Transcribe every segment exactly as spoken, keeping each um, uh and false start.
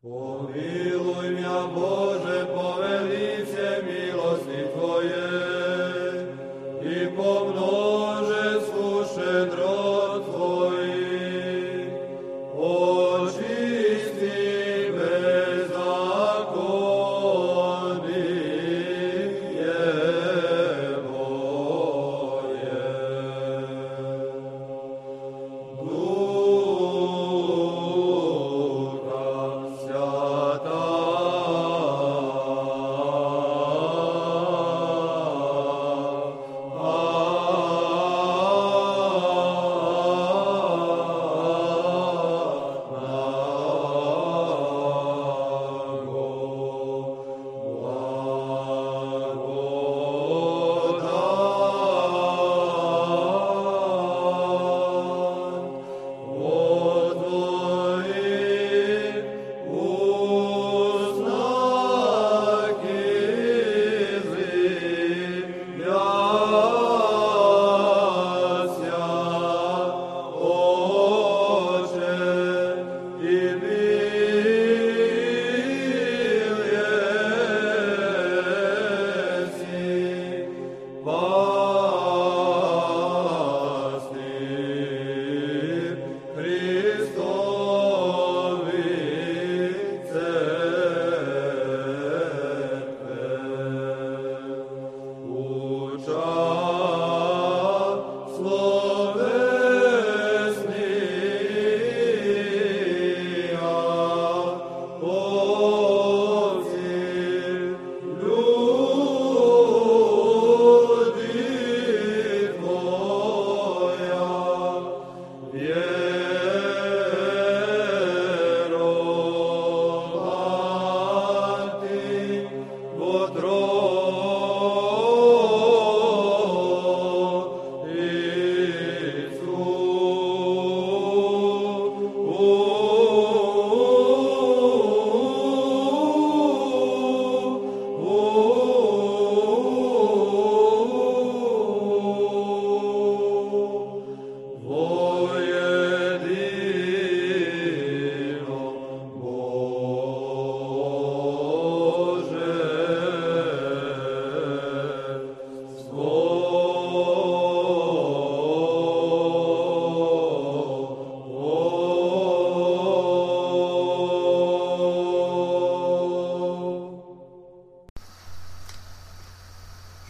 Pomiluj mja Bože, po velice milosti Tvoje i pomnože suše drot Tvojih. Očisti bezakonije moje.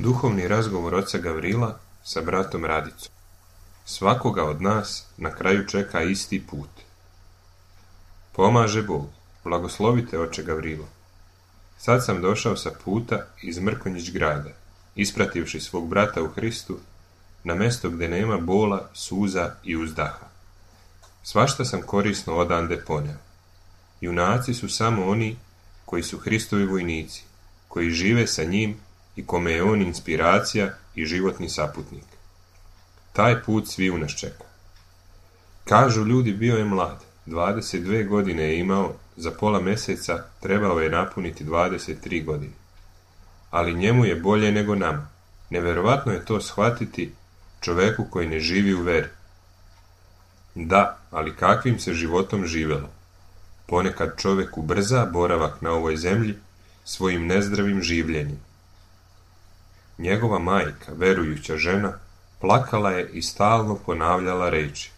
Duhovni razgovor oca Gavrila sa bratom Radicom. Svakoga od nas na kraju čeka isti put. Pomaže Bog, blagoslovite oče Gavrilo. Sad sam došao sa puta iz Mrkonjić grada, isprativši svog brata u Hristu, na mesto gdje nema bola, suza i uzdaha. Svašta sam korisno odande poneo. Junaci su samo oni koji su Hristovi vojnici, koji žive sa njim i kome je on inspiracija i životni saputnik. Taj put svi u nas čeka. Kažu ljudi, bio je mlad, dvadeset dvije godine je imao, za pola mjeseca trebao je napuniti dvadeset tri godine. Ali njemu je bolje nego nama. Neverovatno je to shvatiti čoveku koji ne živi u veri. Da, ali kakvim se životom živelo? Ponekad čovjek ubrza boravak na ovoj zemlji svojim nezdravim življenjem. Njegova majka, verujuća žena, plakala je i stalno ponavljala reči.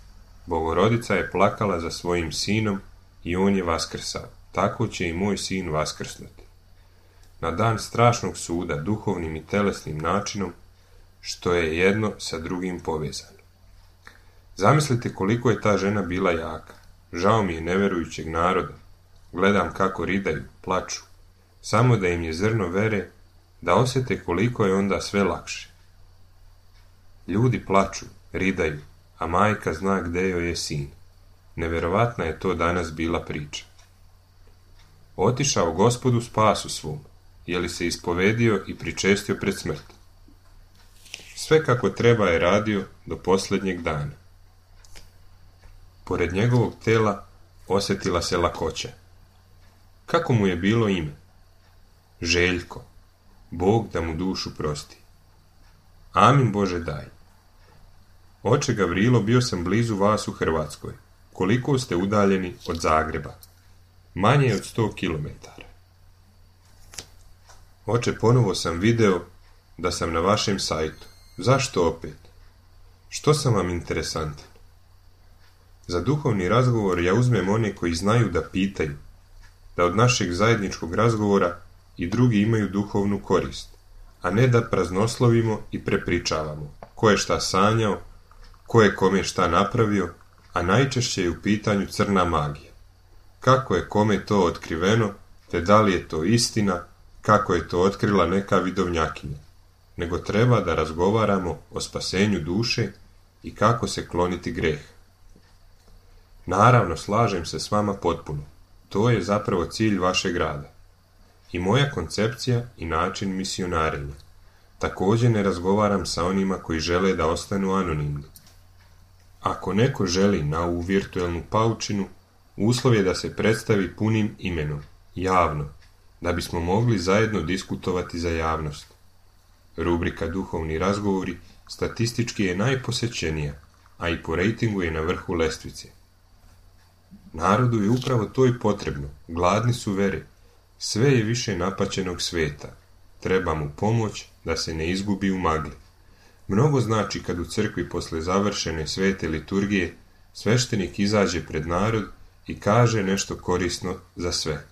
Bogorodica je plakala za svojim sinom i on je vaskrsao. Tako će i moj sin vaskrsnuti. Na dan strašnog suda, duhovnim i telesnim načinom, što je jedno sa drugim povezano. Zamislite koliko je ta žena bila jaka. Žao mi je neverujućeg naroda. Gledam kako ridaju, plaču. Samo da im je zrno vere, da osjete koliko je onda sve lakše. Ljudi plaču, ridaju, a majka zna gdje joj je sin. Neverovatna je to danas bila priča. Otišao Gospodu spasu svom, je li se ispovedio i pričestio pred smrt. Sve kako treba je radio do posljednjeg dana. Pored njegovog tela osjetila se lakoća. Kako mu je bilo ime? Željko. Bog da mu dušu prosti. Amin Bože daj. Oče Gavrilo, bio sam blizu vas u Hrvatskoj. Koliko ste udaljeni od Zagreba? manje od sto kilometara. Oče, ponovo sam video da sam na vašem sajtu. Zašto opet? Što sam vam interesantan? Za duhovni razgovor ja uzmem one koji znaju da pitaju, da od našeg zajedničkog razgovora i drugi imaju duhovnu korist, a ne da praznoslovimo i prepričavamo ko je šta sanjao, ko je kome šta napravio, a najčešće je u pitanju crna magija. Kako je kome to otkriveno, te da li je to istina, kako je to otkrila neka vidovnjakinja, nego treba da razgovaramo o spasenju duše i kako se kloniti greh. Naravno, slažem se s vama potpuno. To je zapravo cilj vašeg rada. I moja koncepcija i način misionarenja. Također ne razgovaram sa onima koji žele da ostanu anonimni. Ako neko želi na ovu virtualnu paučinu, uslov je da se predstavi punim imenom, javno, da bismo mogli zajedno diskutovati za javnost. Rubrika Duhovni razgovori statistički je najposećenija, a i po rejtingu je na vrhu lestvice. Narodu je upravo to i potrebno, gladni su vere, sve je više napaćenog sveta, treba mu pomoć da se ne izgubi u magli. Mnogo znači kad u crkvi posle završene svete liturgije sveštenik izađe pred narod i kaže nešto korisno za sve.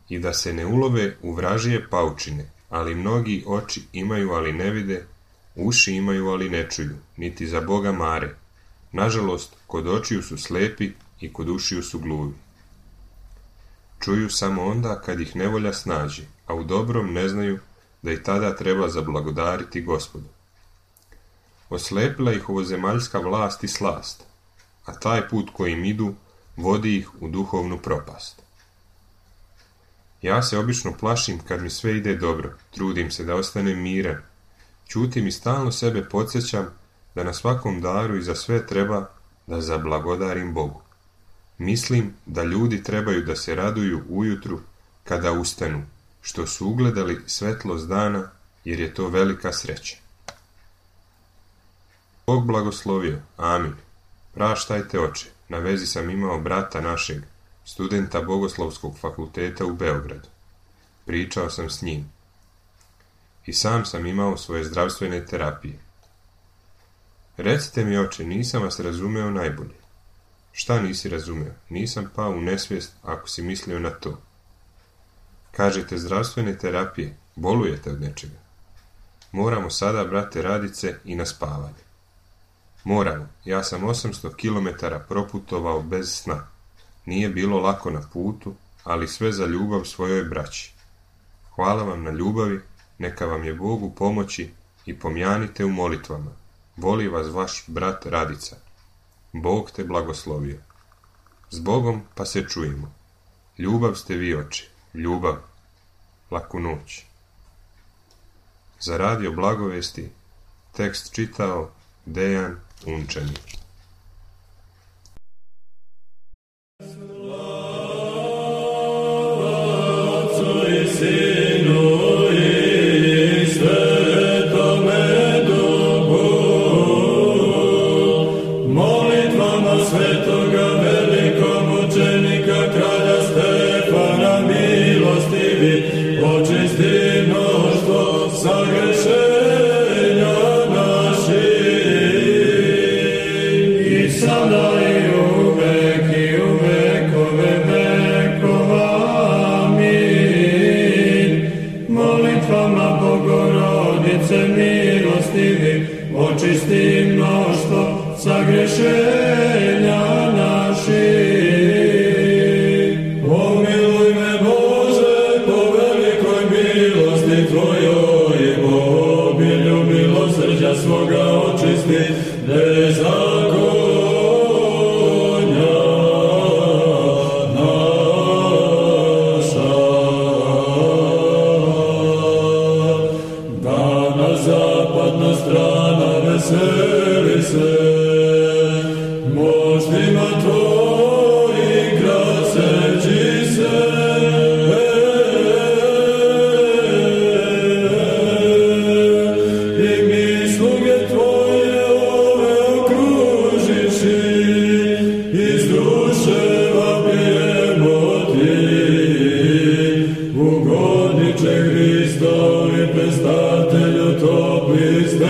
I da se ne ulove u vražije paučine, ali mnogi oči imaju ali ne vide, uši imaju ali ne čuju, niti za Boga mare. Nažalost, kod očiju su slepi i kod ušiju su gluvi. Čuju samo onda kad ih nevolja snađe, a u dobrom ne znaju da i tada treba zablagodariti Gospodu. Oslepila ih ovozemaljska vlast i slast, a taj put kojim idu vodi ih u duhovnu propast. Ja se obično plašim kad mi sve ide dobro, trudim se da ostanem miran, ćutim i stalno sebe podsjećam da na svakom daru i za sve treba da zablagodarim Bogu. Mislim da ljudi trebaju da se raduju ujutru kada ustanu, što su ugledali svetlost dana, jer je to velika sreća. Bog blagoslovio, amin. Praštajte, oče, na vezi sam imao brata našeg, studenta Bogoslovskog fakulteta u Beogradu. Pričao sam s njim. I sam sam imao svoje zdravstvene terapije. Recite mi, oče, nisam vas razumeo najbolje. Šta nisi razumeo? Nisam pao u nesvijest ako si mislio na to. Kažete zdravstvene terapije, bolujete od nečega. Moramo sada, brate Radice, i na spavanje. Moramo, ja sam osamsto kilometara proputovao bez sna. Nije bilo lako na putu, ali sve za ljubav svojoj braći. Hvala vam na ljubavi, neka vam je Bogu pomoći i pomjanite u molitvama. Voli vas vaš brat Radica. Bog te blagoslovio. S Bogom pa se čujemo. Ljubav ste vi, oče, ljubav. Laku noć. Za radio Blagovesti tekst čitao Dejan Unčani. Sagrešenja naši iz